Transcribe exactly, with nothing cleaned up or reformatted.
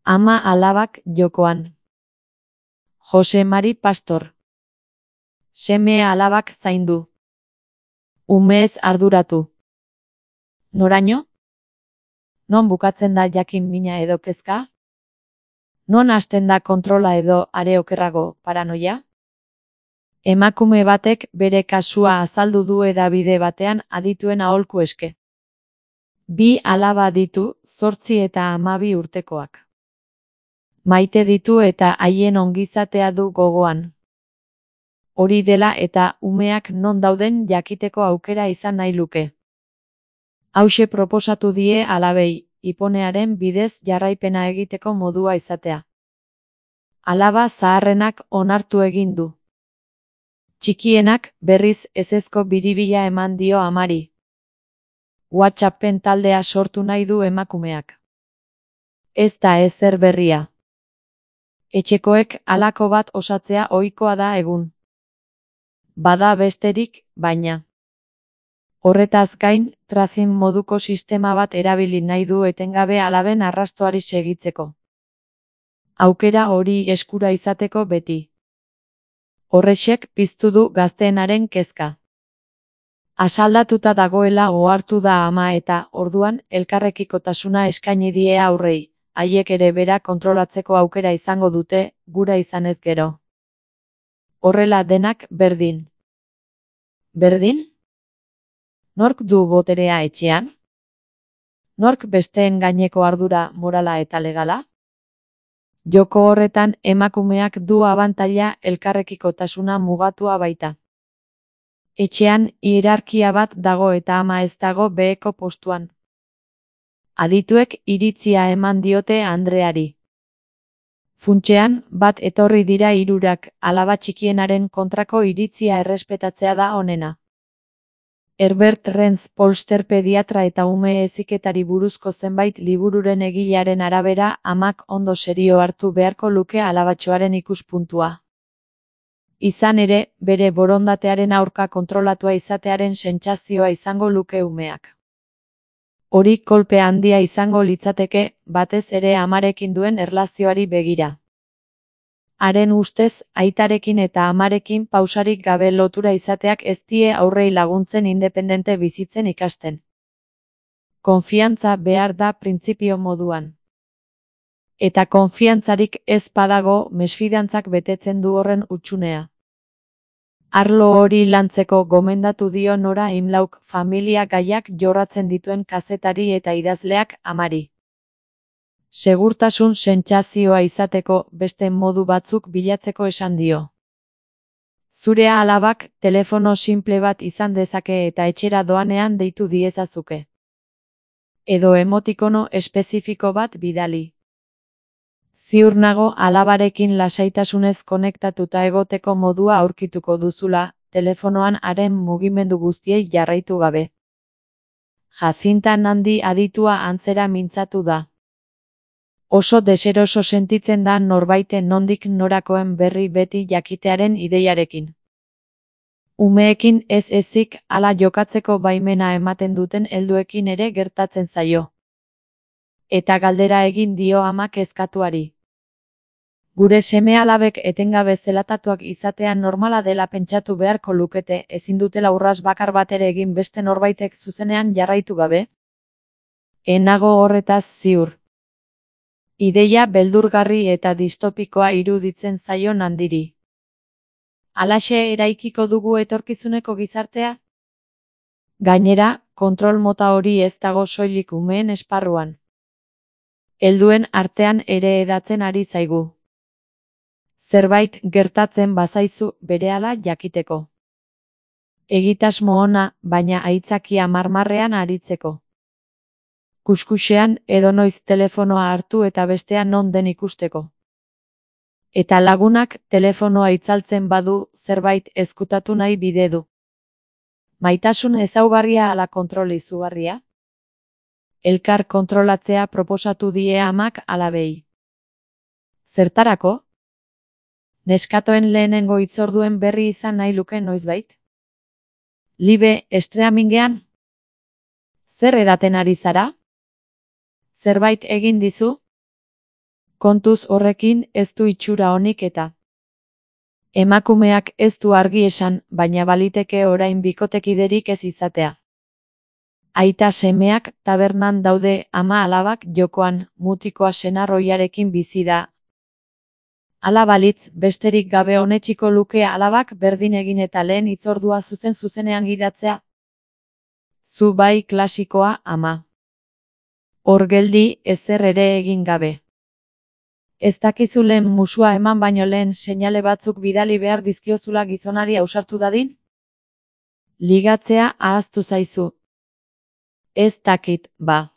Ama alabak jokoan. Jose Mari Pastor. Seme alabak zaindu. Umeez arduratu. Noraino? Non bukatzen da jakin mina edo kezka? Non hasten da kontrola edo are okerrago paranoia? Emakume batek bere kasua azaldu du hedabide batean adituen aholku eske. Bi alaba ditu, zortzi eta hamabi urtekoak. Maite ditu eta haien ongizatea du gogoan. Hori dela eta umeak non dauden jakiteko aukera izan nahi luke. Hauxe proposatu die alabei, iponearen bidez jarraipena egiteko modua izatea. Alaba zaharrenak onartu egin du. Txikienak berriz ezezko biribila eman dio amari. WhatsAppen taldea sortu nahi du emakumeak. Ez da ezer berria. Etxekoek halako bat osatzea ohikoa da egun. Bada besterik, baina. Horretaz gain, tracing moduko sistema bat erabili nahi du etengabe alaben arrastoari segitzeko. Aukera hori eskura izateko beti. Horrexek piztu du gazteenaren kezka. Asaldatuta dagoela ohartu da ama eta, orduan, elkarrekikotasuna eskaini die aurrei, haiek ere bera kontrolatzeko aukera izango dute, gura izanez gero. Horrela denak berdin. Berdin? Nork du boterea etxean? Nork besteen gaineko ardura morala eta legala? Joko horretan emakumeak du abantaila elkarrekikotasuna mugatua baita. Etxean hierarkia bat dago eta ama ez dago beheko postuan. Adituek iritzia eman diote Andreari. Funtsean, bat etorri dira hirurak, alaba txikienaren kontrako iritzia errespetatzea da onena. Herbert Renz Polster pediatra eta ume heziketari buruzko zenbait libururen egilearen arabera amak ondo serio hartu beharko luke alabatxoaren ikuspuntua. Izan ere, bere borondatearen aurka kontrolatua izatearen sentsazioa izango luke umeak. Hori kolpe handia izango litzateke, batez ere amarekin duen erlazioari begira. Haren ustez, aitarekin eta amarekin pausarik gabe lotura izateak ez die aurrei laguntzen independente bizitzen ikasten. Konfiantza behar da printzipio moduan. Eta konfiantzarik ez badago mesfidantzak betetzen du horren hutsunea. Arlo hori lantzeko gomendatu dio Nora Imlauk familia gaiak jorratzen dituen kazetari eta idazleak amari. Segurtasun sentsazioa izateko beste modu batzuk bilatzeko esan dio. Zure alabak telefono simple bat izan dezake eta etxera doanean deitu diezazuke. Edo emotikono espezifiko bat bidali. Ziur nago alabarekin lasaitasunez konektatuta egoteko modua aurkituko duzula, telefonoan haren mugimendu guztiei jarraitu gabe. Jacinta Nandi aditua antzera mintzatu da. Oso deseroso sentitzen da norbaiten nondik norakoen berri beti jakitearen ideiarekin. Umeekin ez ezik hala jokatzeko baimena ematen duten helduekin ere gertatzen zaio. Eta galdera egin dio amak eskatuari. Gure seme-alabek etengabe zelatatuak izatea normala dela pentsatu beharko lukete, ezin dutela urras bakar bat ere egin beste norbaitek zuzenean jarraitu gabe? Enago horretaz ziur. Ideia beldurgarri eta distopikoa iruditzen zaio Nandiri. Halaxe eraikiko dugu etorkizuneko gizartea? Gainera, kontrol mota hori ez dago soilik umeen esparruan. Helduen artean ere hedatzen ari zaigu. Zerbait gertatzen bazaizu berehala jakiteko. Egitasmo ona, baina aitzakia marmarrean aritzeko. Kuskuxean edonoiz telefonoa hartu eta bestea non den ikusteko. Eta lagunak telefonoa itzaltzen badu zerbait ezkutatu nahi bide du. Maitasun ezaugarria ala kontrol izugarria? Elkar kontrolatzea proposatu die amak alabei. Zertarako? Neskatoen lehenengo hitzorduen berri izan nahi luke noizbait? Libe streamingean? Zer edaten ari zara? Zerbait egin dizu? Kontuz horrekin ez du itxura onik eta. Emakumeak ez du argi esan, baina baliteke orain bikotekiderik ez izatea. Aita semeak tabernan daude, ama alabak jokoan, mutikoa senar ohiarekin bizi da. Hala balitz, besterik gabe onetsiko luke alabak berdin egin eta lehen hitzordua zuzen zuzenean gidatzea. Zu bai klasikoa, ama. Hor geldi, ezer ere egin gabe. Ez dakizu lehen musua eman baino lehen seinale batzuk bidali behar dizkiozula gizonari ausartu dadin? Ligatzea ahaztu zaizu. Ez dakit, ba.